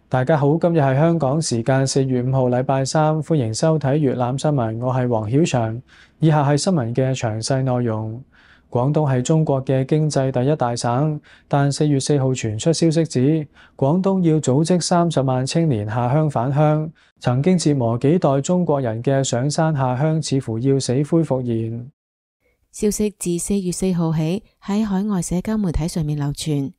大家好，今日係香港時間4月5號禮拜三，歡迎收睇粵覽新聞，我係黃曉翔。以下係新聞嘅詳細內容。廣東係中國嘅經濟第一大省，但4月4號傳出消息指，廣東要組織30萬青年下鄉返鄉。曾經折磨幾代中國人嘅上山下鄉，似乎要死灰復燃。消息自4月4號起喺海外社交媒體上面流傳，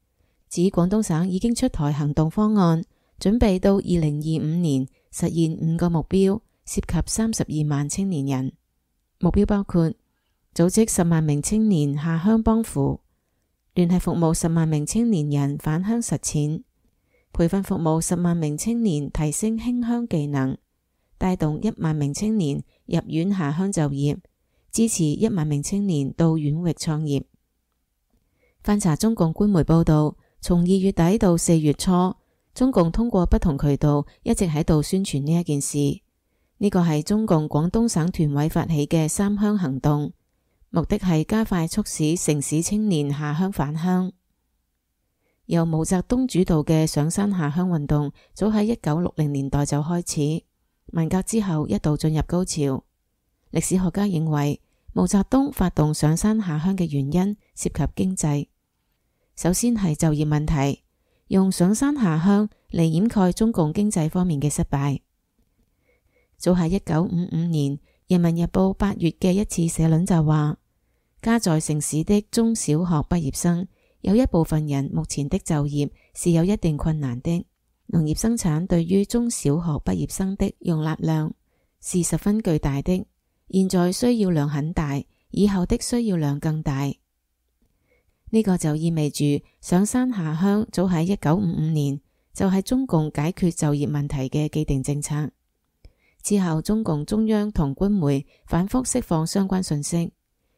指廣東省已經出台行動方案，準備到2025年實現5個目標，涉及32萬青年人。目標包括組織10萬名青年下鄉幫扶，聯繫服務10萬名青年人返鄉實踐，培訓服務10萬名青年提升興鄉技能，帶動1萬名青年入院下鄉就業，支持1萬名青年到縣域創業。翻查中共官媒報道，從2月底到4月初，中共通過不同渠道一直喺度宣傳呢一件事。呢個係中共廣東省團委發起嘅3鄉行動，目的係加快促使城市青年下鄉返鄉。由毛澤東主導嘅上山下鄉運動，早喺1960年代就開始，文革之後一度進入高潮。歷史學家認為，毛澤東發動上山下鄉嘅原因涉及經濟，首先係就業問題，用上山下鄉嚟掩蓋中共經濟方面嘅失敗。早喺1955年，《人民日報》8月嘅一次社論就話，家在城市的中小學畢業生，有一部分人目前的就業是有一定困難的。農業生產對於中小學畢業生的容納量是十分巨大的，現在需要量很大，以後的需要量更大。呢個就意味住上山下鄉早喺1955年就係中共解決就業問題嘅既定政策。之後中共中央同官媒反覆釋放相關信息，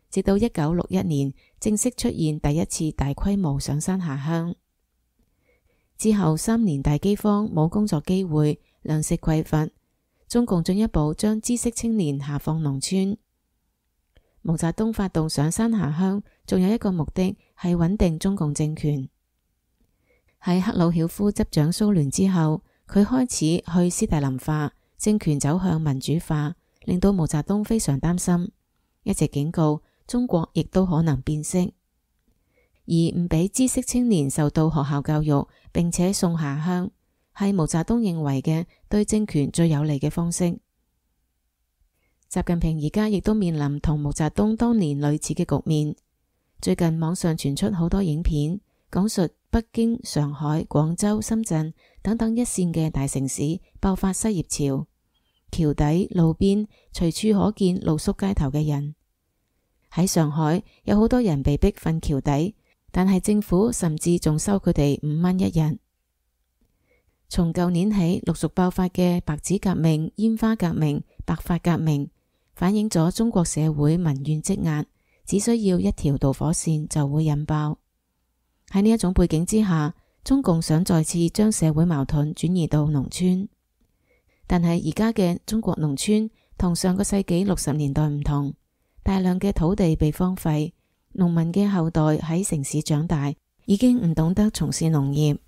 直到1961年正式出現第一次大規模上山下鄉。之後3年大饑荒，冇工作機會，糧食匱乏，中共進一步將知識青年下放農村。毛澤東發動上山下鄉，仲有一個目的係穩定中共政權。喺赫魯曉夫執掌蘇聯之後，佢開始去斯大林化，政權走向民主化，令到毛澤東非常擔心，一直警告中國亦都可能變色，而唔俾知識青年受到學校教育，並且送下鄉，係毛澤東認為嘅對政權最有利嘅方式。習近平而家亦都面臨同毛澤東當年類似嘅局面。最近網上傳出好多影片，講述北京、上海、廣州、深圳等等一線嘅大城市爆發失業潮，橋底、路邊隨處可見露宿街頭嘅人。喺上海有好多人被逼瞓橋底，但係政府甚至仲收佢哋5蚊一日。從舊年起陸續爆發嘅白紙革命、煙花革命、白髮革命，反映咗中國社會民怨積壓，只需要一條導火線就會引爆。喺呢一種背景之下，中共想再次將社會矛盾轉移到農村，但係而家嘅中國農村同上個世紀60年代唔同，大量嘅土地被荒廢，農民嘅後代喺城市長大，已經唔懂得從事農業。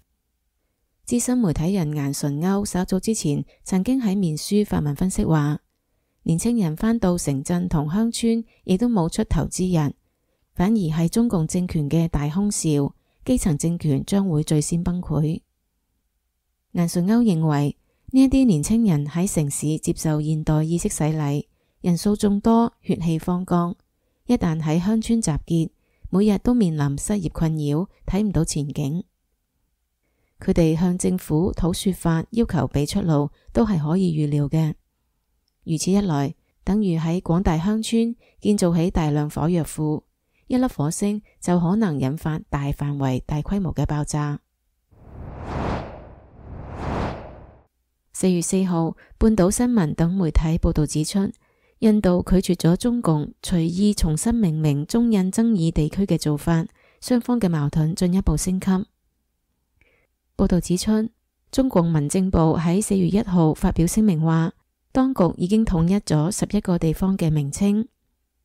資深媒體人顏純鈎稍早之前曾經喺面書發文分析話，年輕人返到城鎮同鄉村亦都冇出頭之日，反而係中共政權嘅大空兆，基層政權將會最先崩潰。顏純鈎認為，呢一啲年輕人喺城市接受現代意識洗禮，人數眾多，血氣方剛，一旦喺鄉村集結，每日都面臨失業困擾，睇唔到前景。佢哋向政府討說法，要求俾出路，都係可以預料嘅。如此一來，等於喺廣大鄉村建造起大量火藥庫，一粒火星就可能引發大範圍、大規模嘅爆炸。4月4號，半島新聞等媒體報道指出，印度拒絕咗中共隨意重新命名中印爭議地區嘅做法，雙方嘅矛盾進一步升級。報道指出，中共民政部喺4月1號發表聲明話，當局已經統一咗11個地方嘅名稱，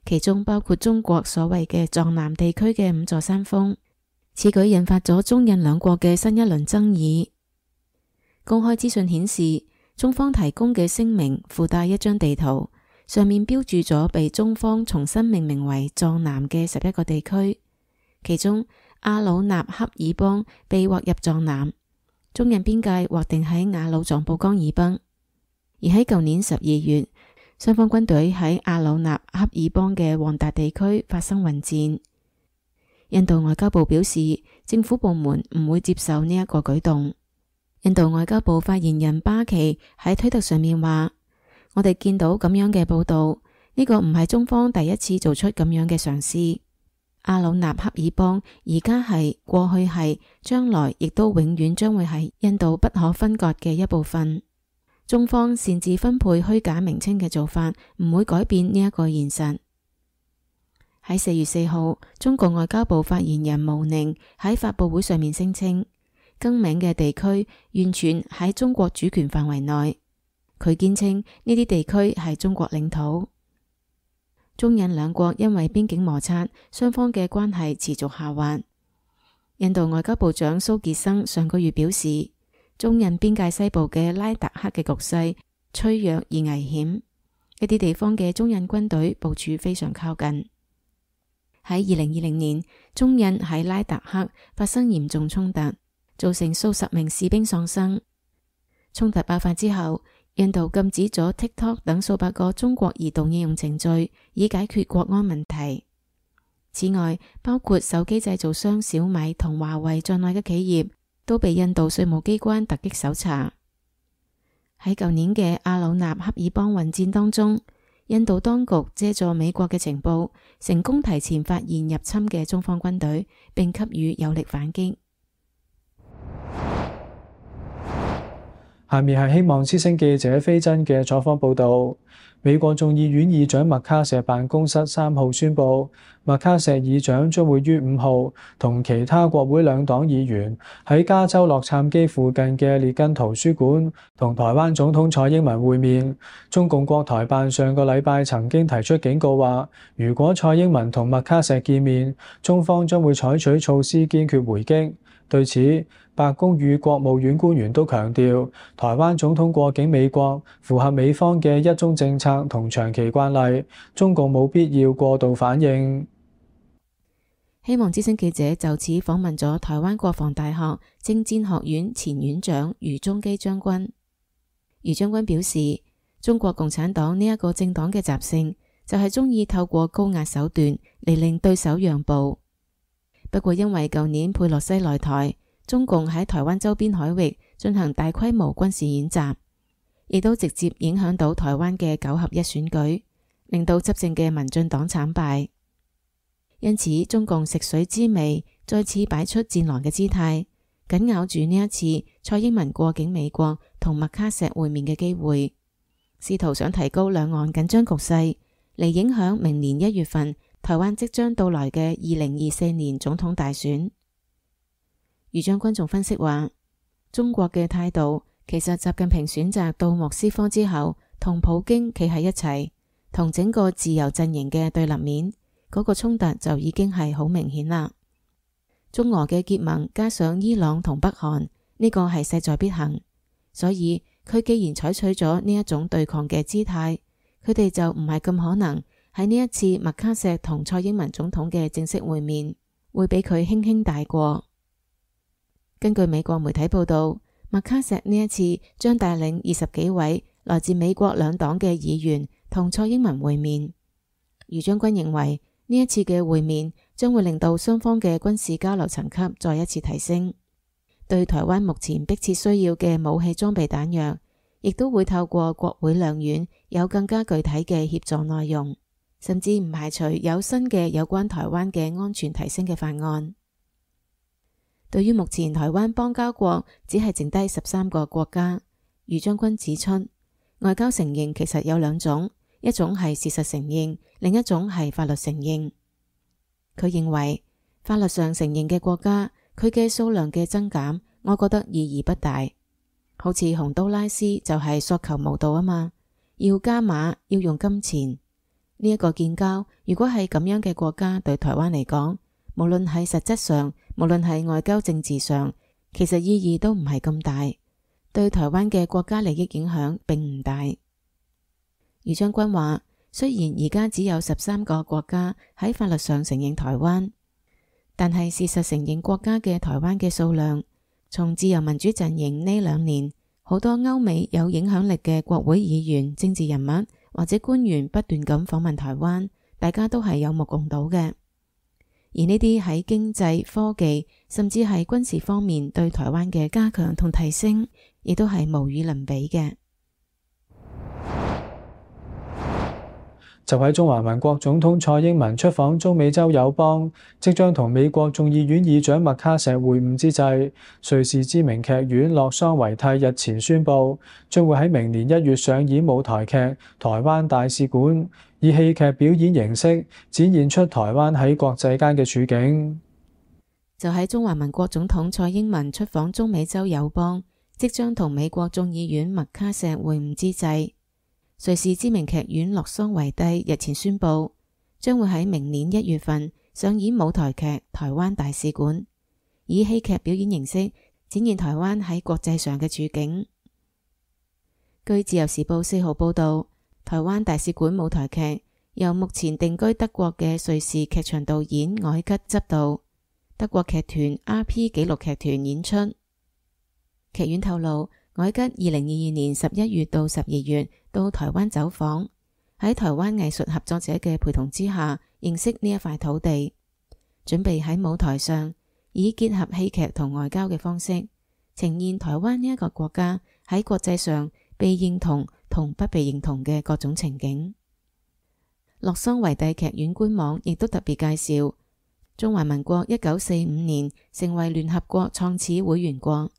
其中包括中國所謂嘅藏南地區嘅5座山峰。此舉引發咗中印兩國嘅新一輪爭議。公開資訊顯示，中方提供嘅聲明附帶一張地圖，上面標注咗被中方重新命名為藏南嘅11個地區，其中阿魯納恰爾邦被劃入藏南，中印邊界劃定喺雅魯藏布江以北。而喺舊年12月，雙方軍隊喺阿魯納恰爾邦嘅旺達地區發生混戰。印度外交部表示，政府部門唔會接受呢一個舉動。印度外交部發言人巴奇喺推特上面話：我哋見到咁樣嘅報道，呢個唔係中方第一次做出咁樣嘅嘗試。阿魯納恰爾邦而家係、過去係、將來亦都永遠將會係印度不可分割嘅一部分。中方擅自分配虛假名稱嘅做法唔會改變呢一個現實。喺4月4號，中國外交部發言人毛寧喺發佈會上面聲稱，更名嘅地區完全喺中國主權範圍內。佢堅稱呢啲地區係中國領土。中印兩國因為邊境摩擦，雙方嘅關係持續下滑。印度外交部長蘇傑生上個月表示，中印邊界西部嘅拉達克嘅局勢脆弱而危險，一啲地方嘅中印軍隊部署非常靠近。喺2020年，中印喺拉達克發生嚴重衝突，造成數十名士兵喪生。衝突爆發之後，印度禁止咗 TikTok 等數百個中國移動應用程序，以解決國安問題。此外，包括手機製造商小米同華為在內嘅企業都被印度稅務機關突擊搜查。喺舊年嘅阿魯納恰爾邦混戰當中，印度當局借助美國嘅情報，成功提前發現入侵嘅中方軍隊，並給予有力反擊。下面係希望之聲記者飛真嘅採訪報導。美國眾議院議長麥卡錫辦公室3號宣布，麥卡錫議長將會於5號同其他國會兩黨議員喺加州洛杉磯附近嘅列根圖書館同台灣總統蔡英文會面。中共國台辦上個禮拜曾經提出警告話，如果蔡英文同麥卡錫見面，中方將會採取措施堅決回擊。對此，白宮與國務院官員都強調，台灣總統過境美國符合美方嘅一中政策同長期慣例，中共冇必要過度反應。希望之聲記者就此訪問咗台灣國防大學政戰學院前院長余宗基將軍。余將軍表示，中國共產黨呢一個政黨嘅習性就係中意透過高壓手段嚟令對手讓步。不過因為舊年佩洛西來台，中共喺台灣周邊海域進行大規模軍事演習，亦都直接影響到台灣嘅9合1選舉，令到執政嘅民進黨慘敗。因此，中共食水知味，再次擺出戰狼嘅姿態，緊咬住呢一次蔡英文過境美國同麥卡錫會面嘅機會，試圖想提高兩岸緊張局勢，嚟影響明年1月份台灣即將到來嘅2024年總統大選。余將軍仲分析話，中國嘅態度其實習近平選擇到莫斯科之後，同普京企喺一齊，同整個自由陣營嘅對立面，嗰個衝突就已經係好明顯啦。中俄嘅結盟加上伊朗同北韓，呢個係勢在必行，所以佢既然採取咗呢一種對抗嘅姿態，佢哋就唔係咁可能喺呢一次麥卡錫同蔡英文總統嘅正式會面，會俾佢輕輕帶過。根據美國媒體報道，麥卡錫呢一次將帶領20幾位來自美國兩黨嘅議員同蔡英文會面。余將軍認為呢一次嘅會面將會令到雙方嘅軍事交流層級再一次提升，對台灣目前迫切需要嘅武器裝備彈藥，亦都會透過國會兩院有更加具體嘅協助內容，甚至唔排除有新嘅有關台灣嘅安全提升嘅法案。對於目前台灣邦交國只係剩低13個國家，余將軍指出，外交承認其實有兩種，一種係事實承認，另一種係法律承認。佢認為法律上承認嘅國家，佢嘅數量嘅增減，我覺得意義不大。好似洪都拉斯就係索求無度啊嘛，要加碼，要用金錢。呢一個建交，如果係咁樣嘅國家對台灣嚟講，無論係實質上，無論係外交政治上，其實意義都唔係咁大，對台灣嘅國家利益影響並唔大。余將軍話，雖然而家只有13個國家喺法律上承認台灣，但係事實承認國家嘅台灣嘅數量，從自由民主陣營呢2年，好多歐美有影響力嘅國會議員、政治人物或者官員不斷咁訪問台灣，大家都係有目共睹嘅。而呢啲喺經濟、科技甚至係軍事方面對台灣嘅加強同提升，亦都係無與倫比嘅。就喺中華民國總統蔡英文出訪中美洲友邦，即將同美國眾議院議長麥卡錫會晤之際，瑞士知名劇院洛桑維蒂日前宣布，將會喺明年1月上演舞台劇《台灣大使館》，以戲劇表演形式展現出台灣喺國際間嘅處境。就喺中華民國總統蔡英文出訪中美洲友邦，即將同美國眾議院麥卡錫會晤之際，瑞士知名劇院洛桑維蒂日前宣布，將會喺明年1月份上演舞台劇《台灣大使館》，以戲劇表演形式展現台灣喺國際上嘅處境。據自由時報4號報道，台灣大使館舞台劇由目前定居德國嘅瑞士劇場導演凱吉執導，德國劇團 RP 紀錄劇團演出。劇院透露，凱吉2022年11月到12月到台灣走訪，喺台灣藝術合作者嘅陪同之下，認識呢一塊土地，準備喺舞台上以結合戲劇同外交嘅方式，呈現台灣呢一個國家喺國際上被認同同不被認同嘅各種情景。洛桑維蒂劇院官網亦都特別介紹，中華民國1945年成為聯合國創始會員國，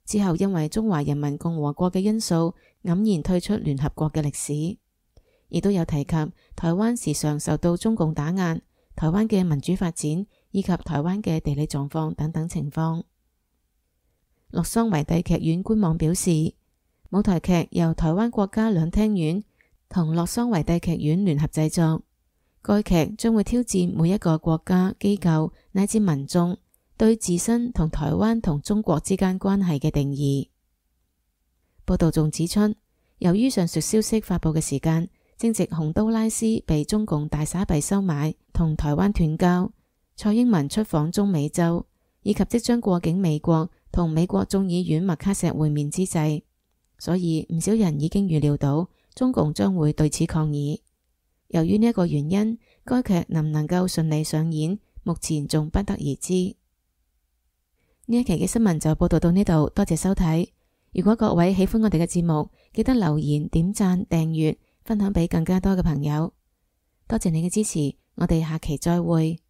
之後因為中華人民共和國嘅因素，黯然退出聯合國嘅歷史，亦都有提及台灣時常受到中共打壓，台灣嘅民主發展以及台灣嘅地理狀況等等情況。洛桑維蒂劇院官網表示，舞台劇由台灣國家兩廳院同洛桑維蒂劇院聯合製作，該劇將會挑戰每一個國家、機構乃至民眾對自身同台灣同中國之間關係嘅定義。報道仲指出，由於上述消息發佈嘅時間正值洪都拉斯被中共大撒幣收買，同台灣斷交，蔡英文出訪中美洲，以及即將過境美國同美國眾議院麥卡錫會面之際，所以唔少人已經預料到中共將會對此抗議。由於呢一個原因，該劇能唔能夠順利上演，目前仲不得而知。呢一期嘅新聞就報道到呢度，多謝收睇。如果各位喜歡我哋嘅節目，記得留言、點讚、訂閱、分享俾更加多嘅朋友。多謝你嘅支持，我哋下期再會。